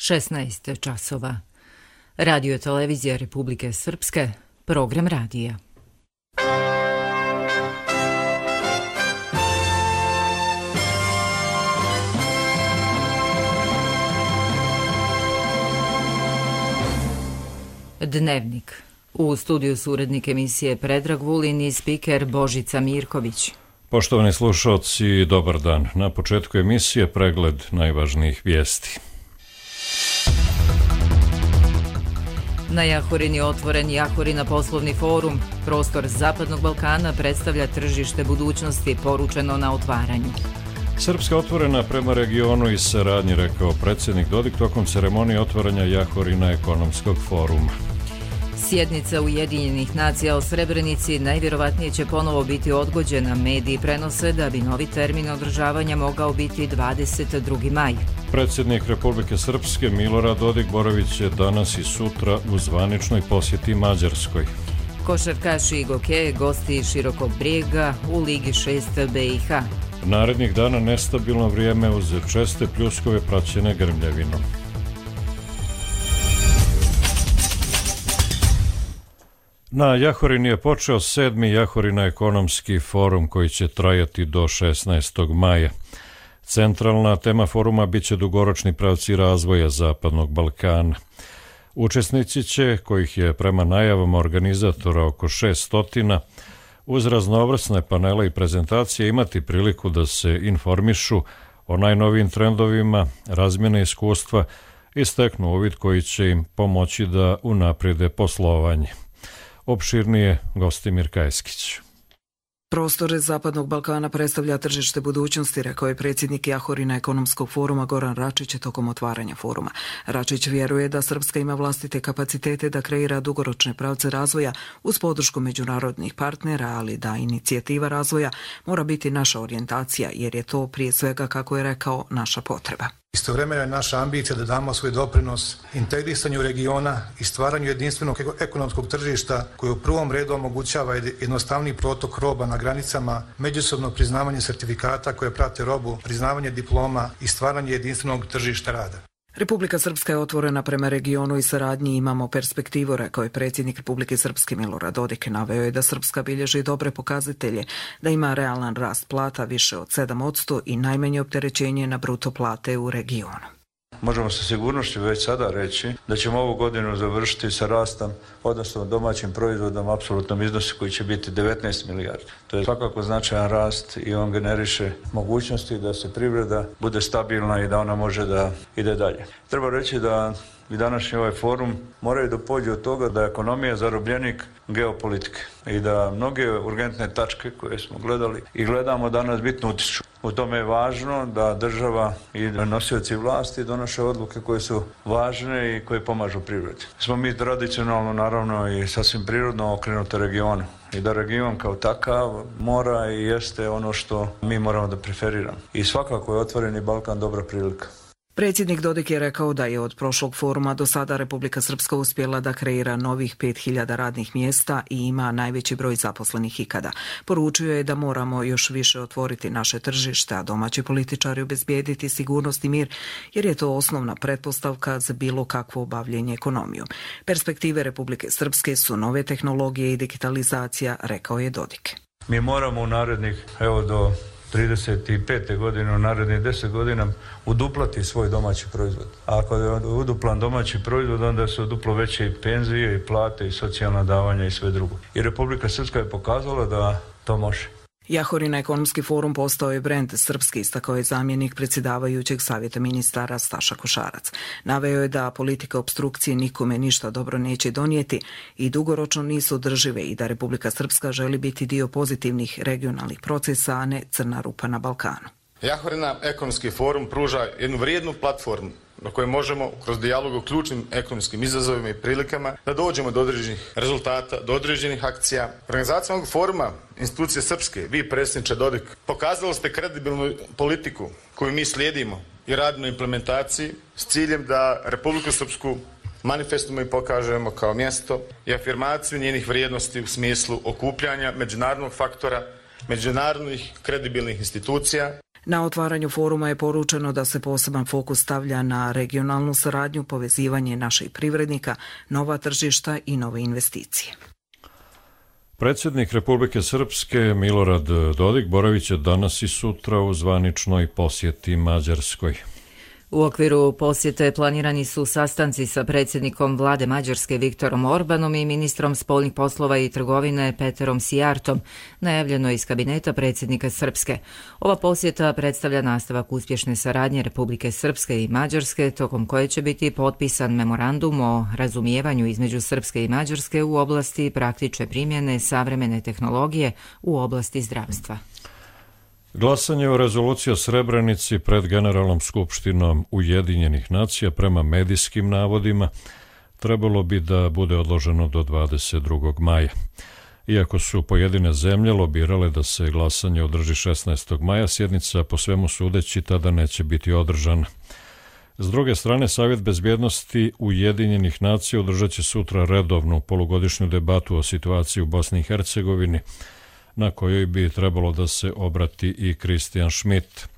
16 časova. Radio televizija Republike Srpske, program radija. Dnevnik. U studiju su urednik emisije Predrag Vulin i spiker Božica Mirković. Poštovani slušalci, dobar dan. Na početku emisije pregled najvažnijih vijesti. Na Jahorini otvoren Jahorina poslovni forum. Prostor Zapadnog Balkana predstavlja tržište budućnosti, poručeno na otvaranju. Srpska otvorena prema regionu i saradnji, rekao predsjednik Dodik tokom ceremonije otvaranja Jahorina ekonomskog foruma. Sjednica Ujedinjenih nacija o Srebrenici najvjerovatnije će ponovo biti odgođena. Mediji prenose da bi novi termin održavanja mogao biti 22. maj. Predsjednik Republike Srpske Milorad Dodik boravit će danas i sutra u zvaničnoj posjeti Mađarskoj. Košarkaši i gokeje gosti Širokog Brijega u Ligi 6 BiH. Narednih dana nestabilno vrijeme uz česte pljuskove praćene grmljavinom. Na Jahorini je počeo 7. Jahorina ekonomski forum koji će trajati do 16. maja. Centralna tema foruma biće dugoročni pravci razvoja Zapadnog Balkana. Učesnici će, kojih je prema najavama organizatora oko 600, uz raznovrsne panele i prezentacije imati priliku da se informišu o najnovijim trendovima, razmjene iskustva i steknu uvid koji će im pomoći da unaprijede poslovanje. Opširnije Gostimir Kajskić. Prostor Zapadnog Balkana predstavlja tržište budućnosti, rekao je predsjednik Jahorina ekonomskog foruma Goran Račić tokom otvaranja foruma. Račić vjeruje da Srpska ima vlastite kapacitete da kreira dugoročne pravce razvoja uz podršku međunarodnih partnera, ali da inicijativa razvoja mora biti naša orijentacija, jer je to prije svega, kako je rekao, naša potreba. Istovremeno je naša ambicija da damo svoj doprinos integrisanju regiona i stvaranju jedinstvenog ekonomskog tržišta koje u prvom redu omogućava jednostavni protok roba na granicama, međusobno priznavanje sertifikata koje prate robu, priznavanje diploma i stvaranje jedinstvenog tržišta rada. Republika Srpska je otvorena prema regionu i saradnji, imamo perspektivu, rekao je predsjednik Republike Srpske Milorad Dodik. Naveo je da Srpska bilježi dobre pokazatelje, da ima realan rast plata više od 7% i najmanje opterećenje na bruto plate u regionu. Možemo sa sigurnošću već sada reći da ćemo ovu godinu završiti sa rastom, odnosno domaćim proizvodom u apsolutnom iznosu koji će biti 19 milijardi. To je svakako značajan rast i on generiše mogućnosti da se privreda bude stabilna i da ona može da ide dalje. Treba reći da i današnji ovaj forum moraju da pođe od toga da je ekonomija zarobljenik geopolitike i da mnoge urgentne tačke koje smo gledali i gledamo danas bitno utiču. U tome je važno da država i nosioci vlasti donoše odluke koje su važne i koje pomažu privredi. Smo mi tradicionalno, naravno, i sasvim prirodno okrenuti regionu i da region kao takav mora i jeste ono što mi moramo da preferiramo. I svakako je otvoreni Balkan dobra prilika. Predsjednik Dodik je rekao da je od prošlog foruma do sada Republika Srpska uspjela da kreira novih 5000 radnih mjesta i ima najveći broj zaposlenih ikada. Poručio je da moramo još više otvoriti naše tržište, a domaći političari obezbijediti sigurnost i mir, jer je to osnovna pretpostavka za bilo kakvo bavljenje ekonomijom. Perspektive Republike Srpske su nove tehnologije i digitalizacija, rekao je Dodik. Mi moramo u narednih, do 35. godine, u narednih 10 godina uduplati svoj domaći proizvod. A ako je uduplan domaći proizvod, onda su duplo veće i penzije, i plate, i socijalna davanja i sve drugo. I Republika Srpska je pokazala da to može. Jahorina ekonomski forum postao je brend Srpski, istakao je zamjenik predsjedavajućeg savjeta ministara Staša Košarac. Naveo je da politika opstrukcije nikome ništa dobro neće donijeti i dugoročno nisu održive i da Republika Srpska želi biti dio pozitivnih regionalnih procesa, a ne crna rupa na Balkanu. Jahorina ekonomski forum pruža jednu vrijednu platformu na kojoj možemo kroz dijalog o ključnim ekonomskim izazovima i prilikama da dođemo do određenih rezultata, do određenih akcija. Organizacijom ovog foruma institucije Srpske, vi predsjedniče Dodik, pokazali ste kredibilnu politiku koju mi slijedimo i radimo na implementaciji s ciljem da Republiku Srpsku manifestujemo i pokažemo kao mjesto i afirmaciju njenih vrijednosti u smislu okupljanja međunarodnog faktora, međunarodnih kredibilnih institucija. Na otvaranju foruma je poručeno da se poseban fokus stavlja na regionalnu saradnju, povezivanje naših privrednika, nova tržišta i nove investicije. Predsjednik Republike Srpske Milorad Dodik boravit će danas i sutra u zvaničnoj posjeti Mađarskoj. U okviru posjete planirani su sastanci sa predsjednikom vlade Mađarske Viktorom Orbanom i ministrom spoljnih poslova i trgovine Peterom Sijartom, najavljeno iz kabineta predsjednika Srpske. Ova posjeta predstavlja nastavak uspješne saradnje Republike Srpske i Mađarske, tokom koje će biti potpisan memorandum o razumijevanju između Srpske i Mađarske u oblasti praktične primjene savremene tehnologije u oblasti zdravstva. Glasanje o rezoluciji o Srebrenici pred Generalnom skupštinom Ujedinjenih nacija prema medijskim navodima trebalo bi da bude odloženo do 22. maja. Iako su pojedine zemlje lobirale da se glasanje održi 16. maja, sjednica po svemu sudeći tada neće biti održana. S druge strane, Savjet bezbjednosti Ujedinjenih nacija održat će sutra redovnu polugodišnju debatu o situaciji u Bosni i Hercegovini, na kojoj bi trebalo da se obrati i Christian Schmidt.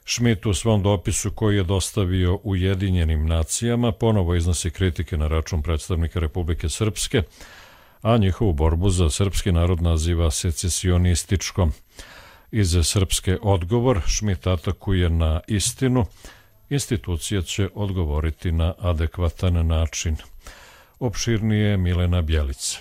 Schmidt u svom dopisu koji je dostavio Ujedinjenim nacijama ponovo iznosi kritike na račun predstavnika Republike Srpske, a njihovu borbu za srpski narod naziva secesionističkom. Iz Srpske odgovor Schmidt atakuje na istinu, institucija će odgovoriti na adekvatan način. Opširnije Milena Bjelica.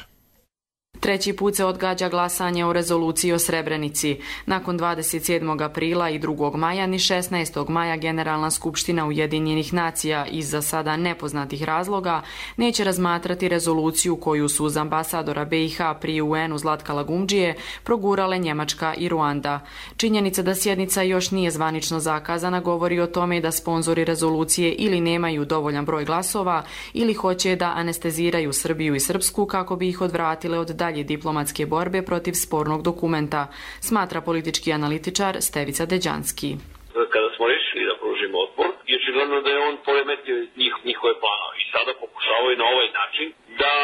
Treći put se odgađa glasanje o rezoluciji o Srebrenici. Nakon 27. aprila i 2. maja ni 16. maja Generalna skupština Ujedinjenih nacija iz za sada nepoznatih razloga neće razmatrati rezoluciju koju su uz ambasadora BiH pri UN-u Zlatka Lagumdžije progurale Njemačka i Ruanda. Činjenica da sjednica još nije zvanično zakazana govori o tome da sponzori rezolucije ili nemaju dovoljan broj glasova ili hoće da anesteziraju Srbiju i Srpsku kako bi ih odvratile od dalje diplomatske borbe protiv spornog dokumenta, smatra politički analitičar Stevica Deđanski. Kada smo rešili da pružimo otpor, je očigledno da je on poremetio njihove planove i sada pokušavaju na ovaj način da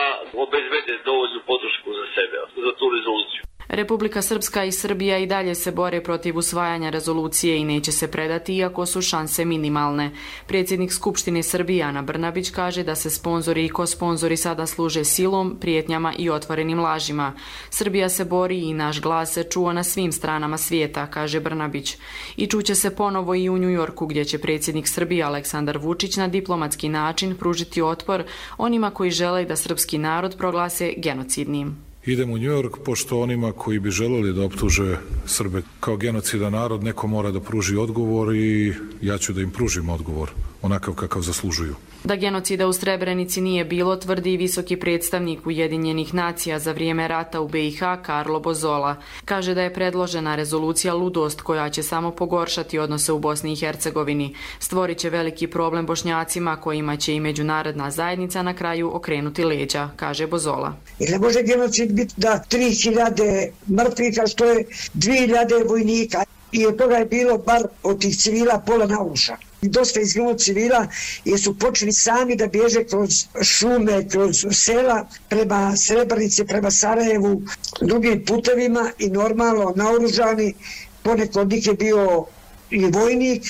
obezbede dovoljnu podršku za sebe, za tu rezoluciju. Republika Srpska i Srbija i dalje se bore protiv usvajanja rezolucije i neće se predati iako su šanse minimalne. Predsjednik Skupštine Srbije Ana Brnabić kaže da se sponzori i kosponzori sada služe silom, prijetnjama i otvorenim lažima. Srbija se bori i naš glas se čuo na svim stranama svijeta, kaže Brnabić. I čuće se ponovo i u New Yorku gdje će predsjednik Srbije Aleksandar Vučić na diplomatski način pružiti otpor onima koji žele da srpski narod proglase genocidnim. Idem u New York, pošto onima koji bi želeli da optuže Srbe kao genocidan narod, neko mora da pruži odgovor i ja ću da im pružim odgovor, onakav kakav zaslužuju. Da genocida u Srebrenici nije bilo, tvrdi i visoki predstavnik Ujedinjenih nacija za vrijeme rata u BiH Karlo Bozola. Kaže da je predložena rezolucija ludost koja će samo pogoršati odnose u Bosni i Hercegovini. Stvorit će veliki problem Bošnjacima kojima će i međunarodna zajednica na kraju okrenuti leđa, kaže Bozola. Ne može genocid biti da 3000 mrtvih, što je 2000 vojnika i od toga je bilo bar od tih civila pola na uša. Dosta izginulo civila jer su počeli sami da bježe kroz šume, kroz sela, prema Srebrenici, prema Sarajevu, drugim putevima i normalno naoružani. Poneko od njih je bio i vojnik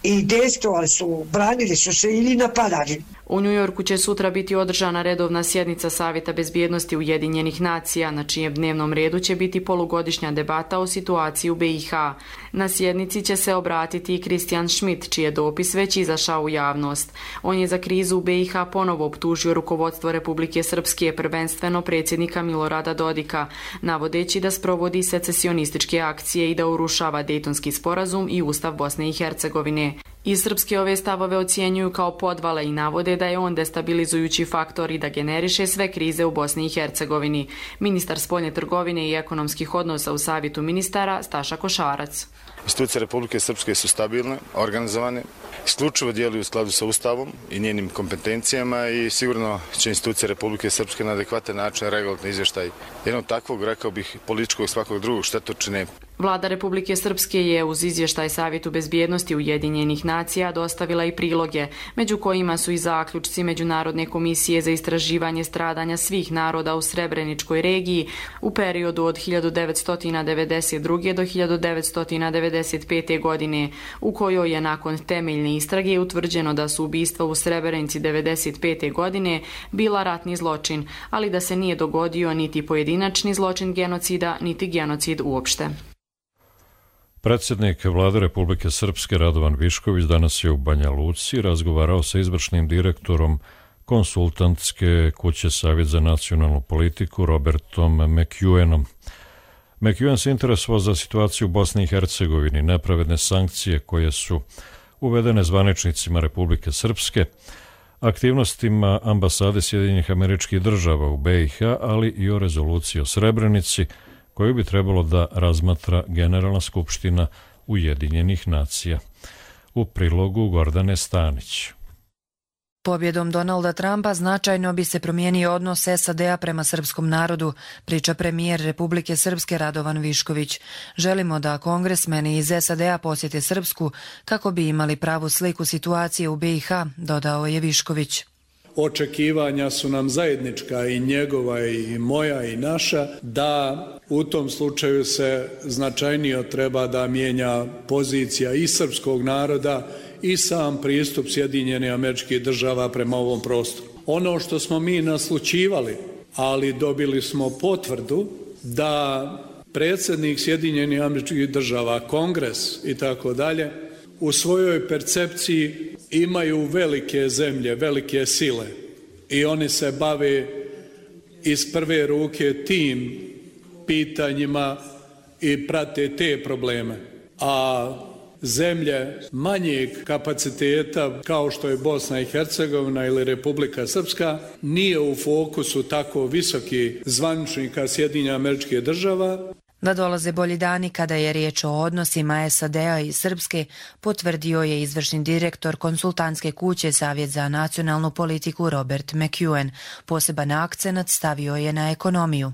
i dejstvovali su, branili su se ili napadali. U New Yorku će sutra biti održana redovna sjednica Savjeta bezbjednosti Ujedinjenih nacija, na čijem dnevnom redu će biti polugodišnja debata o situaciji u BiH. Na sjednici će se obratiti i Christian Schmidt, čiji je dopis već izašao u javnost. On je za krizu u BiH ponovo optužio rukovodstvo Republike Srpske, prvenstveno predsjednika Milorada Dodika, navodeći da sprovodi secesionističke akcije i da urušava Dejtonski sporazum i Ustav Bosne i Hercegovine. Iz Srpske ove stavove ocjenjuju kao podvale i navode da je on destabilizujući faktor i da generiše sve krize u Bosni i Hercegovini. Ministar spoljne trgovine i ekonomskih odnosa u Savjetu ministara Staša Košarac. Institucije Republike Srpske su stabilne, organizovane, isključivo djeluju u skladu sa Ustavom i njenim kompetencijama i sigurno će institucije Republike Srpske na adekvatan način reagovati na izvještaj jednog takvog, rekao bih, političkog svakog drugog štetočine. Vlada Republike Srpske je uz izvještaj Savjetu bezbjednosti Ujedinjenih nacija dostavila i priloge, među kojima su i zaključci Međunarodne komisije za istraživanje stradanja svih naroda u Srebreničkoj regiji u periodu od 1992. do 1995. godine, u kojoj je nakon temeljne istrage utvrđeno da su ubistva u Srebrenici 1995. godine bila ratni zločin, ali da se nije dogodio niti pojedinačni zločin genocida, niti genocid uopšte. Predsjednik Vlade Republike Srpske Radovan Višković danas je u Banja Luci razgovarao sa izvršnim direktorom konsultantske kuće Savjet za nacionalnu politiku Robertom McEwenom. McEwen se interesovao za situaciju u Bosni i Hercegovini, nepravedne sankcije koje su uvedene zvaničnicima Republike Srpske, aktivnostima ambasade Sjedinjenih Američkih Država u BiH, ali i o rezoluciji o Srebrenici, koju bi trebalo da razmatra Generalna skupština Ujedinjenih nacija. U prilogu Gordane Stanić. Pobjedom Donalda Trumpa značajno bi se promijenio odnos SAD-a prema srpskom narodu, priča premijer Republike Srpske Radovan Višković. Želimo da kongresmeni iz SAD-a posjete Srpsku kako bi imali pravu sliku situacije u BiH, dodao je Višković. Očekivanja su nam zajednička, i njegova i moja i naša, da u tom slučaju se značajnije treba da mijenja pozicija i srpskog naroda i sam pristup Sjedinjenih Američkih Država prema ovom prostoru. Ono što smo mi naslućivali, ali dobili smo potvrdu da predsjednik Sjedinjenih Američkih Država, Kongres i tako dalje, u svojoj percepciji imaju velike zemlje, velike sile i oni se bave iz prve ruke tim pitanjima i prate te probleme. A zemlje manjeg kapaciteta kao što je Bosna i Hercegovina ili Republika Srpska nije u fokusu tako visoki zvaničnika Sjedinjenih Američkih Država. Da dolaze bolji dani kada je riječ o odnosima SAD-a i Srpske, potvrdio je izvršni direktor konsultantske kuće Savjet za nacionalnu politiku Robert McEwen. Poseban akcenat stavio je na ekonomiju.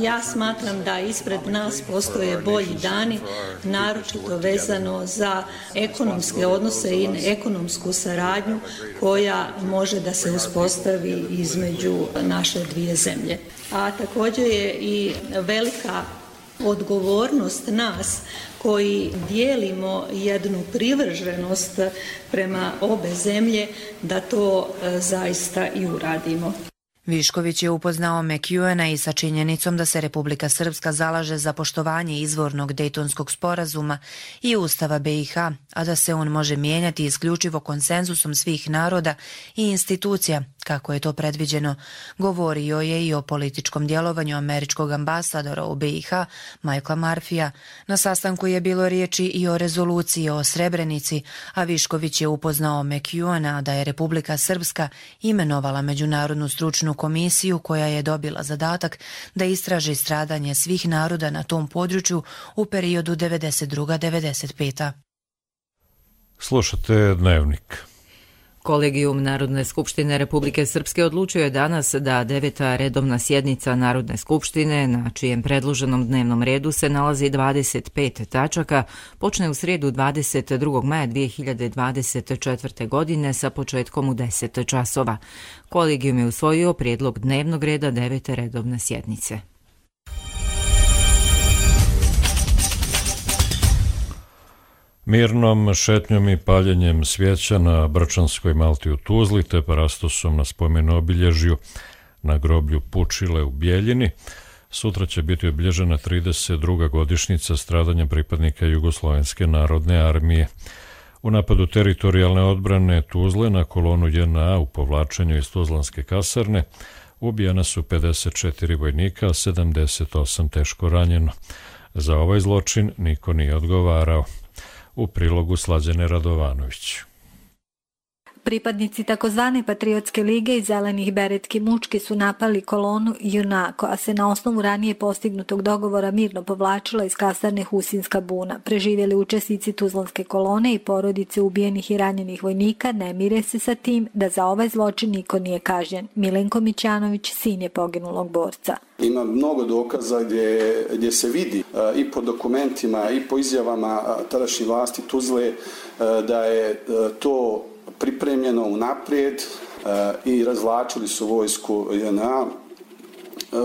Ja smatram da ispred nas postoje bolji dani, naročito vezano za ekonomske odnose i ekonomsku saradnju koja može da se uspostavi između naše dvije zemlje. A također je i velika odgovornost nas koji dijelimo jednu privrženost prema obe zemlje da to zaista i uradimo. Višković je upoznao McEwena i sa činjenicom da se Republika Srpska zalaže za poštovanje izvornog Dejtonskog sporazuma i Ustava BiH, a da se on može mijenjati isključivo konsenzusom svih naroda i institucija, kako je to predviđeno. Govorio je i o političkom djelovanju američkog ambasadora u BiH, Michaela Murphyja. Na sastanku je bilo riječi i o rezoluciji o Srebrenici, a Višković je upoznao McEwena da je Republika Srpska imenovala međunarodnu stručnu komisiju koja je dobila zadatak da istraži stradanje svih naroda na tom području u periodu 92-95. Slušate Dnevnik. Kolegijum Narodne skupštine Republike Srpske odlučio je danas da 9. redovna sjednica Narodne skupštine, na čijem predloženom dnevnom redu se nalazi 25 tačaka, počne u srijedu 22. maja 2024. godine sa početkom u 10 časova. Kolegijum je usvojio prijedlog dnevnog reda 9. redovne sjednice. Mirnom šetnjom i paljenjem svijeća na Brčanskoj Malti u Tuzli te parastosom na spomenu obilježju na groblju Pučile u Bijeljini sutra će biti obilježena 32. godišnjica stradanja pripadnika Jugoslovenske narodne armije. U napadu teritorijalne odbrane Tuzle na kolonu JNA u povlačenju iz Tuzlanske kasarne ubijena su 54 vojnika, a 78 teško ranjeno. Za ovaj zločin niko nije odgovarao. U prilogu Slađane Radovanović. Pripadnici takozvane Patriotske lige i Zelenih beretki mučki su napali kolonu JNA, koja se na osnovu ranije postignutog dogovora mirno povlačila iz kasarne Husinska buna. Preživjeli učesnici Tuzlanske kolone i porodice ubijenih i ranjenih vojnika ne mire se sa tim da za ovaj zločin niko nije kažnjen. Milenko Mićanović, sin je poginulog borca. Ima mnogo dokaza gdje se vidi i po dokumentima i po izjavama tadašnje vlasti Tuzle da je to pripremljeno unaprijed i razvlačili su vojsku JNA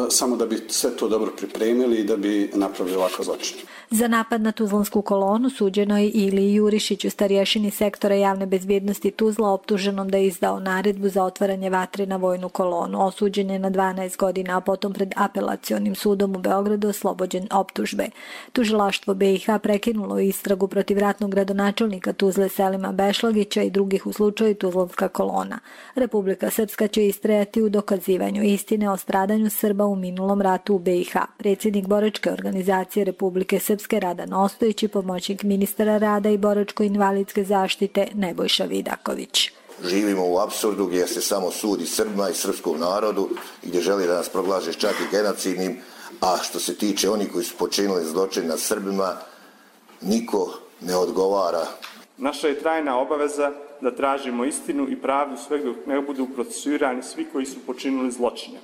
samo da bi sve to dobro pripremili i da bi napravili ovakav zločin. Za napad na Tuzlansku kolonu suđeno je Iliji Jurišiću, starješini sektora javne bezbjednosti Tuzla, optuženom da je izdao naredbu za otvaranje vatre na vojnu kolonu. Osuđen je na 12 godina, a potom pred apelacionim sudom u Beogradu oslobođen optužbe. Tužilaštvo BiH prekinulo istragu protiv ratnog gradonačelnika Tuzle Selima Bešlagića i drugih u slučaju Tuzlanska kolona. Republika Srpska će istrajati u dokazivanju istine o stradanju Srba u minulom ratu u BiH. Predsjednik boračke organizacije Republike Srpske Radan Ostojić i pomoćnik ministra rada i boračko-invalidske zaštite Nebojša Vidaković. Živimo u apsurdu gdje se samo sudi Srbima i srpskom narodu i gdje želi da nas proglaže čak i genocidnim, a što se tiče onih koji su počinili zločin nad Srbima, niko ne odgovara. Naša je trajna obaveza da tražimo istinu i pravdu sve dok ne budu procesuirani svi koji su počinili zločine.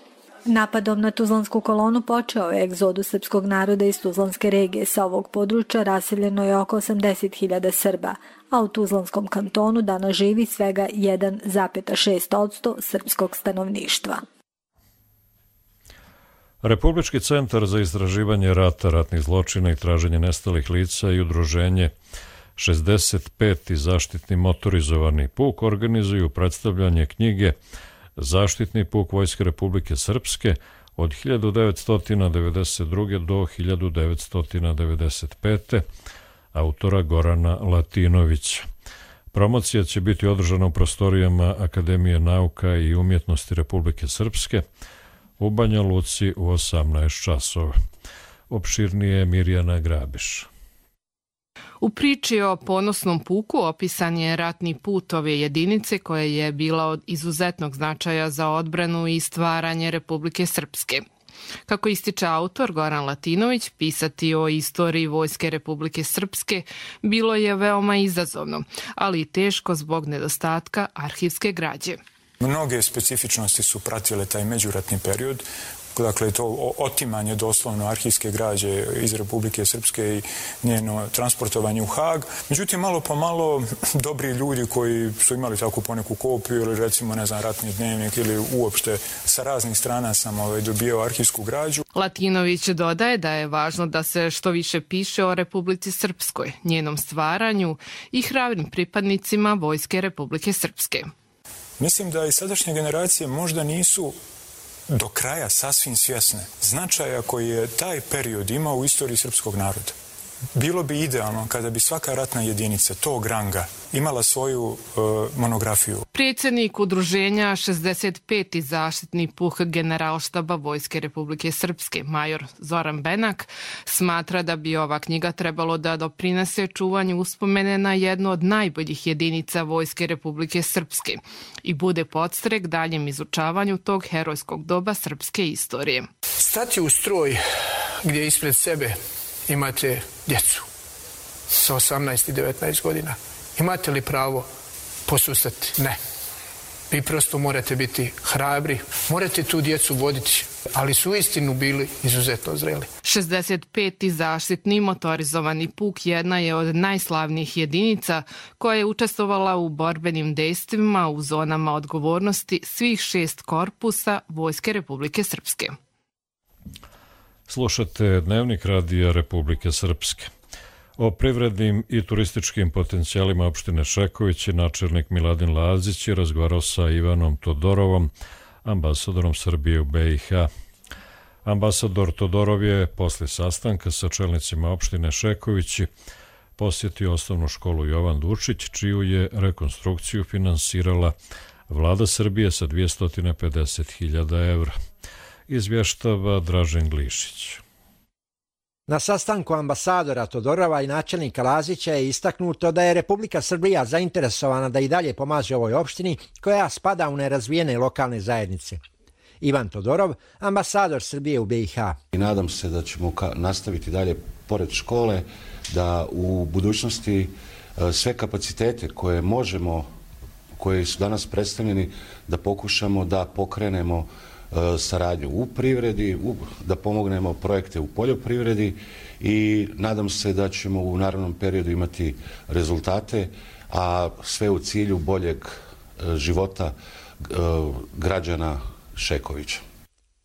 Napadom na Tuzlansku kolonu počeo je egzodus srpskog naroda iz Tuzlanske regije. Sa ovog područja raseljeno je oko 80.000 Srba, a u Tuzlanskom kantonu danas živi svega 1,6% srpskog stanovništva. Republički centar za istraživanje rata, ratnih zločina i traženje nestalih lica i udruženje 65. zaštitni motorizovani puk organizuju predstavljanje knjige Zaštitni puk Vojske Republike Srpske od 1992. do 1995. autora Gorana Latinovića. Promocija će biti održana u prostorijama Akademije nauka i umjetnosti Republike Srpske u Banja Luci u 18 časova. Opširnije Mirjana Grabiš. U priči o ponosnom puku opisan je ratni put ove jedinice koja je bila od izuzetnog značaja za odbranu i stvaranje Republike Srpske. Kako ističe autor Goran Latinović, pisati o istoriji Vojske Republike Srpske bilo je veoma izazovno, ali i teško zbog nedostatka arhivske građe. Mnoge specifičnosti su pratile taj međuratni period. Dakle, to otimanje doslovno arhivske građe iz Republike Srpske i njeno transportovanje u Hag. Međutim, malo po malo dobri ljudi koji su imali takvu poneku kopiju ili recimo, ne znam, ratni dnevnik ili uopšte sa raznih strana sam dobijao arhivsku građu. Latinović dodaje da je važno da se što više piše o Republici Srpskoj, njenom stvaranju i hrabrim pripadnicima Vojske Republike Srpske. Mislim da i sadašnje generacije možda nisu do kraja sasvim svjesne značaja koji je taj period imao u istoriji srpskog naroda. Bilo bi idealno kada bi svaka ratna jedinica tog ranga imala svoju monografiju. Predsjednik udruženja 65. zaštitni puk Generalštaba Vojske Republike Srpske, major Zoran Benak, smatra da bi ova knjiga trebalo da doprinese čuvanju uspomene na jednu od najboljih jedinica Vojske Republike Srpske i bude podstrek daljem izučavanju tog herojskog doba srpske istorije. Stati u stroj gdje ispred sebe imate djecu sa 18 i 19 godina. Imate li pravo posustati? Ne. Vi prosto morate biti hrabri, morate tu djecu voditi, ali su uistinu bili izuzetno zreli. 65. zaštitni motorizovani puk jedna je od najslavnijih jedinica koja je učestvovala u borbenim dejstvima u zonama odgovornosti svih 6 korpusa Vojske Republike Srpske. Slušate Dnevnik radija Republike Srpske. O privrednim i turističkim potencijalima opštine Šeković načelnik Miladin Lazić je razgovarao sa Ivanom Todorovom, ambasadorom Srbije u BiH. Ambasador Todorov je posle sastanka sa čelnicima opštine Šekovići posjetio osnovnu školu Jovan Dučić, čiju je rekonstrukciju finansirala Vlada Srbije sa 250.000 evra. Izvještava Dražen Glišić. Na sastanku ambasadora Todorova i načelnika Lazića je istaknuto da je Republika Srbija zainteresovana da i dalje pomaže ovoj opštini koja spada u nerazvijene lokalne zajednice. Ivan Todorov, ambasador Srbije u BiH. I nadam se da ćemo nastaviti dalje pored škole, da u budućnosti sve kapacitete koje možemo, koji su danas predstavljeni, da pokušamo da pokrenemo saradnju u privredi, da pomognemo projekte u poljoprivredi i nadam se da ćemo u narednom periodu imati rezultate, a sve u cilju boljeg života građana Šekovića.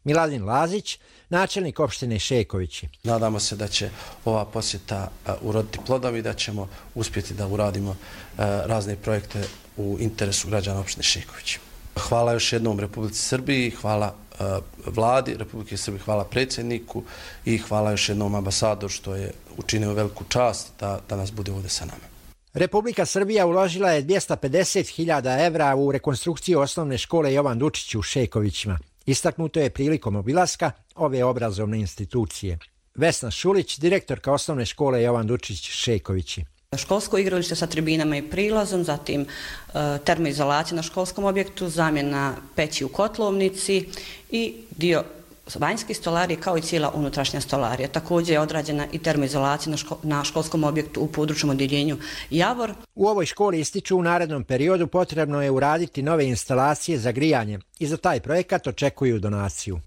Miladin Lazić, načelnik opštine Šekovići. Nadamo se da će ova posjeta uroditi plodom i da ćemo uspjeti da uradimo razne projekte u interesu građana opštine Šekovići. Hvala još jednom Republici Srbiji, hvala vladi Republike Srbije, hvala predsjedniku i hvala još jednom ambasadoru što je učinio veliku čast da danas bude ovdje sa nama. Republika Srbija uložila je 250.000 evra u rekonstrukciju osnovne škole Jovan Dučić u Šekovićima. Istaknuto je prilikom obilaska ove obrazovne institucije. Vesna Šulić, direktorka osnovne škole Jovan Dučić Šekovići. Školsko igralište sa tribinama i prilazom, zatim termoizolacija na školskom objektu, zamjena peći u kotlovnici i dio vanjske stolarije kao i cijela unutrašnja stolarija. Također je odrađena i termoizolacija na školskom objektu u područnom odjeljenju Javor. U ovoj školi ističu u narednom periodu potrebno je uraditi nove instalacije za grijanje i za taj projekat očekuju donaciju.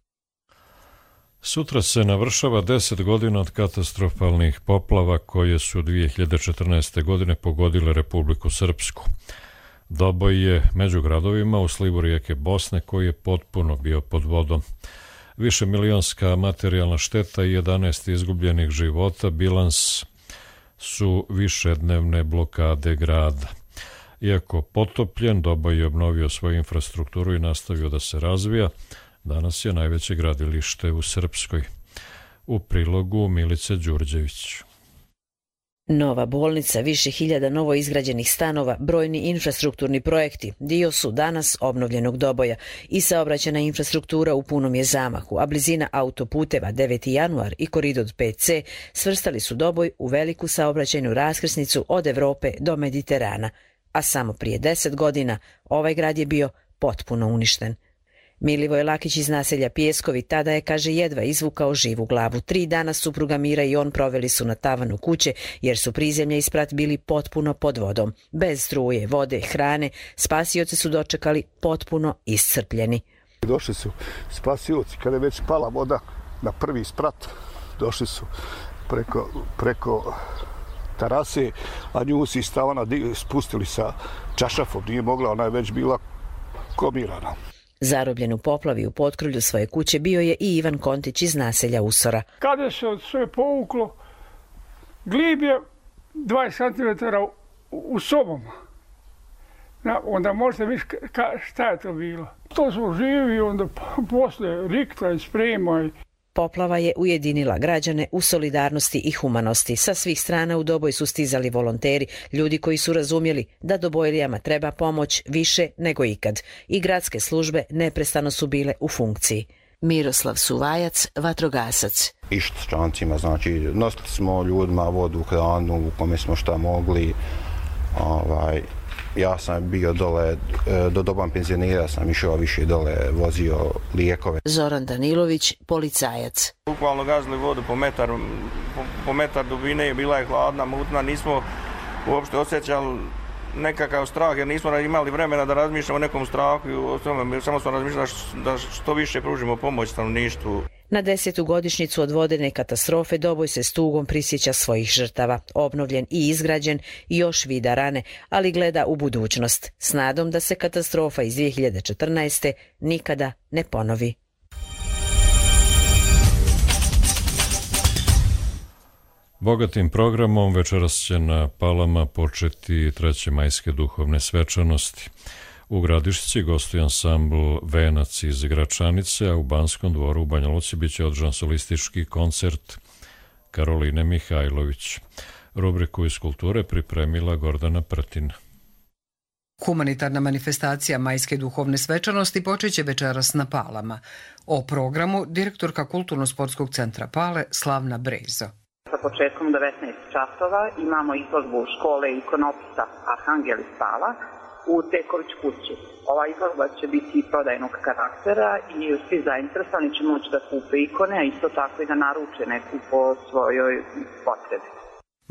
Sutra se navršava 10 godina od katastrofalnih poplava koje su 2014. godine pogodile Republiku Srpsku. Doboj je među gradovima u slivu rijeke Bosne koji je potpuno bio pod vodom. Višemilionska materijalna šteta i 11 izgubljenih života bilans su višednevne blokade grada. Iako potopljen, Doboj je obnovio svoju infrastrukturu i nastavio da se razvija. Danas je najveće gradilište u Srpskoj. U prilogu Milice Đurđević. Nova bolnica, više hiljada novo izgrađenih stanova, brojni infrastrukturni projekti dio su danas obnovljenog Doboja i saobraćajna infrastruktura u punom je zamahu, a blizina autoputeva 9. januar i koridor 5C svrstali su Doboj u veliku saobraćajnu raskrsnicu od Evrope do Mediterana, a samo prije 10 godina ovaj grad je bio potpuno uništen. Milivoj Lakić iz naselja Pjeskovi tada je, kaže, jedva izvukao živu glavu. 3 dana supruga Mira i on proveli su na tavanu kuće jer su prizemlje i sprat bili potpuno pod vodom. Bez struje, vode, hrane, spasioci su dočekali potpuno iscrpljeni. Došli su spasioci kada je već pala voda na prvi sprat. Došli su preko terase, a nju si stavana spustili sa čašafom. Nije mogla, ona je već bila komirana. Zarobljen u poplavi u potkrulju svoje kuće bio je i Ivan Kontić iz naselja Usora. Kada se sve povuklo, glib je 20 cm u sobom. Onda možete misliti šta je to bilo. To smo živi, onda posle rikta i sprema. Poplava je ujedinila građane u solidarnosti i humanosti. Sa svih strana u Doboj su stizali volonteri, ljudi koji su razumjeli da Dobojlijama treba pomoć više nego ikad. I gradske službe neprestano su bile u funkciji. Miroslav Suvajac, vatrogasac. Išli s čancima, znači nosili smo ljudima vodu, hranu, u kome smo šta mogli. Ja sam bio dole, do doban penzionira sam išao više dole, vozio lijekove. Zoran Danilović, policajac. Bukvalno gazili vodu po metar dubine, bila je hladna, mutna, nismo uopšte osjećali nekakav strah jer nismo imali vremena da razmišljamo o nekom strahu, samo smo razmišljali da što više pružimo pomoć stanovništvu. Na 10. godišnjicu od vodene katastrofe Doboj se s tugom prisjeća svojih žrtava. Obnovljen i izgrađen i još vida rane, ali gleda u budućnost s nadom da se katastrofa iz 2014. nikada ne ponovi. Bogatim programom večeras će na Palama početi treće majske duhovne svečanosti. U Gradišci gostuje ansambl Venac iz Gračanice, a u Banskom dvoru u Banja Luci biće održan solistički koncert Karoline Mihajlović. Rubriku iz kulture pripremila Gordana Prtina. Humanitarna manifestacija majske duhovne svečanosti počeće večeras na Palama. O programu direktorka Kulturno-sportskog centra Pale Slavna Brezo. sa početkom 19 časova imamo izložbu škole ikonopisa Arhangelis Pala u Teković kući. Ova izložba će biti prodajnog karaktera i svi zainteresovani će moći da kupe ikone, a isto tako i da naruče neku po svojoj potrebi.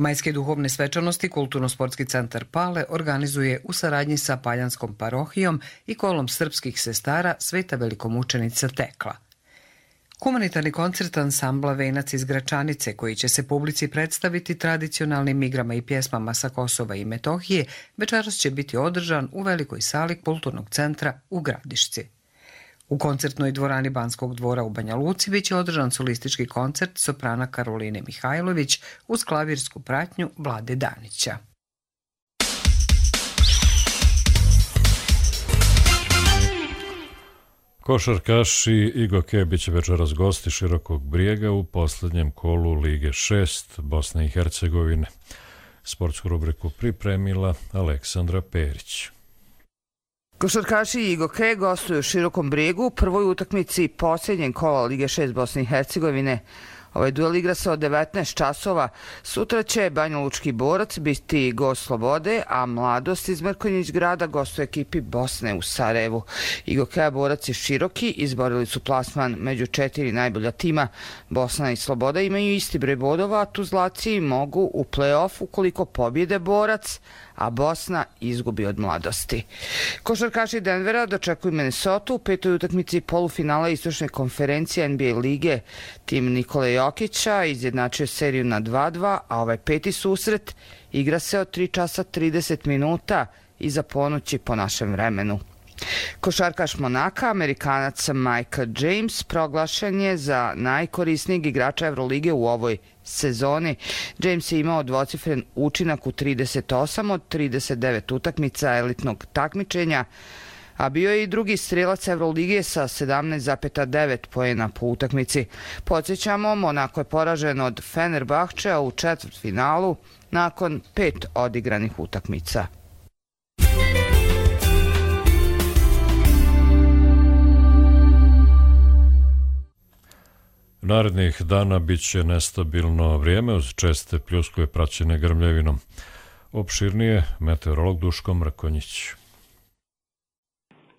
Majske duhovne svečanosti Kulturno-sportski centar Pale organizuje u saradnji sa Paljanskom parohijom i kolom srpskih sestara Sveta velikomučenica Tekla. Humanitarni koncert ansambla Venac iz Gračanice, koji će se publici predstaviti tradicionalnim igrama i pjesmama sa Kosova i Metohije, večeras će biti održan u velikoj sali Kulturnog centra u Gradišci. U koncertnoj dvorani Banskog dvora u Banja Luci biće održan solistički koncert soprana Karoline Mihajlović uz klavirsku pratnju Vlade Danića. Košarkaši Igo Kebić večeras gosti Širokog Brijega u posljednjem kolu Lige 6 Bosne i Hercegovine. Sportsku rubriku pripremila Aleksandra Perić. Košarkaši Igo Ke gostuju u Širokom Brijegu u prvoj utakmici posljednjeg kola Lige 6 Bosne i Hercegovine. Ovaj duel igra se od 19 časova. Sutra će Banja Lučki Borac biti gost Slobode, a Mladost iz Mrkonjić grada gostuje ekipi Bosne u Sarajevu. Igo Ke Borac i Široki izborili su plasman među 4 najbolja tima. Bosna i Sloboda imaju isti broj bodova, a Tuzlaci mogu u play-off ukoliko pobjede Borac, a Bosna izgubi od Mladosti. Košarkaši Denvera dočekuju Minnesota u petoj utakmici polufinala istočne konferencije NBA lige. Tim Nikole Jokića izjednačio seriju na 2-2, a ovaj peti susret igra se od 3 časa 30 minuta iza ponoći po našem vremenu. Košarkaš Monaka, Amerikanac Mike James, proglašen je za najkorisnijeg igrača Evrolige u ovoj sezoni. James je imao dvocifren učinak u 38 od 39 utakmica elitnog takmičenja, a bio je i drugi strelac Evrolige sa 17,9 poena po utakmici. Podsjećamo, Monako je poražen od Fenerbahčea u četvrtfinalu nakon 5 odigranih utakmica. Narednih dana bit će nestabilno vrijeme uz česte pljuskove praćene grmljevinom. Opširnije meteorolog Duško Mrkonjić.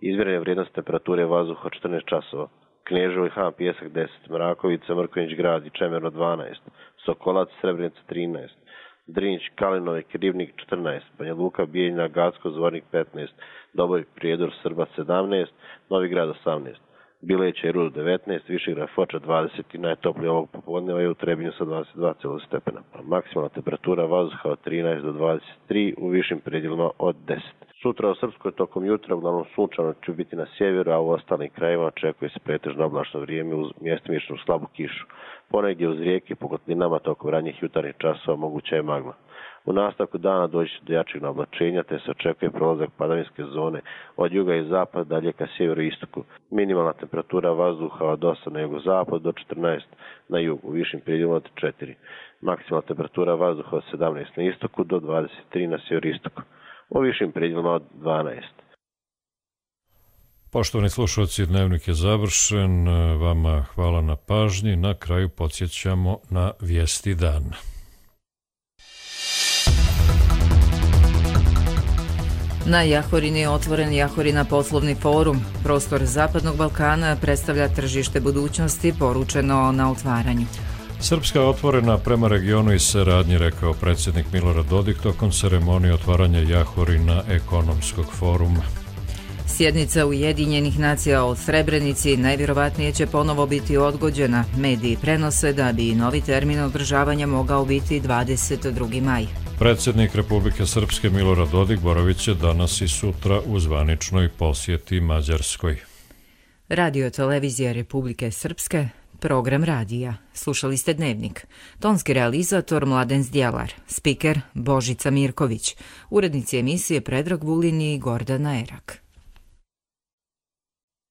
Izmjerene vrijednost temperature vazduha 14 časova. Kneževo i Han Pjesak 10, Mrakovica, Mrkonjić grad i Čemerno 12, Sokolac, Srebrenica 13, Drinć, Kalinove, Krivnik 14, Banja Luka, Bijeljina, Gacko, Zvornik 15, Doboj, Prijedor, Srbac 17, Novi Grad 18. Bileća i Rudo 19, Višegrad Foča 20 i najtoplije ovog popodneva je u Trebinju sa 22 stepena. Maksimalna temperatura vazduha od 13 do 23, u višim predjelima od 10. Sutra u Srpskoj tokom jutra uglavnom sunčano će biti na sjeveru, a u ostalim krajevima očekuje se pretežno oblačno vrijeme uz mjestimičnu slabu kišu. Ponegdje uz rijeke po kotlinama tokom ranjih jutarnjih časova moguća je magla. U nastavku dana doći do jačeg naoblačenja te se očekuje prolazak padavinske zone od juga i zapada dalje ka sjeveru i istoku. Minimalna temperatura vazduha od 8 na jugozapad do 14 na jugu, u višim predjelima od 4. Maksimalna temperatura vazduha od 17 na istoku do 23 na sjeveroistoku, u višim predjelima od 12. Poštovani slušalci, dnevnik je završen. Vama hvala na pažnji. Na kraju podsjećamo na vijesti dana. Na Jahorini je otvoren Jahorina poslovni forum. Prostor Zapadnog Balkana predstavlja tržište budućnosti, poručeno na otvaranju. Srpska je otvorena prema regionu i saradnji, rekao predsjednik Milorad Dodik tokom ceremonije otvaranja Jahorina ekonomskog foruma. Sjednica Ujedinjenih nacija o Srebrenici najvjerovatnije će ponovo biti odgođena. Mediji prenose da bi novi termin održavanja mogao biti 22. maj. Predsjednik Republike Srpske Milorad Dodik boravit će danas i sutra u zvaničnoj posjeti Mađarskoj. Radio televizija Republike Srpske, program radija. Slušali ste Dnevnik. Tonski realizator Mladen Zdjelar, spiker Božica Mirković, urednici emisije Predrag Vulin i Gordana Erak.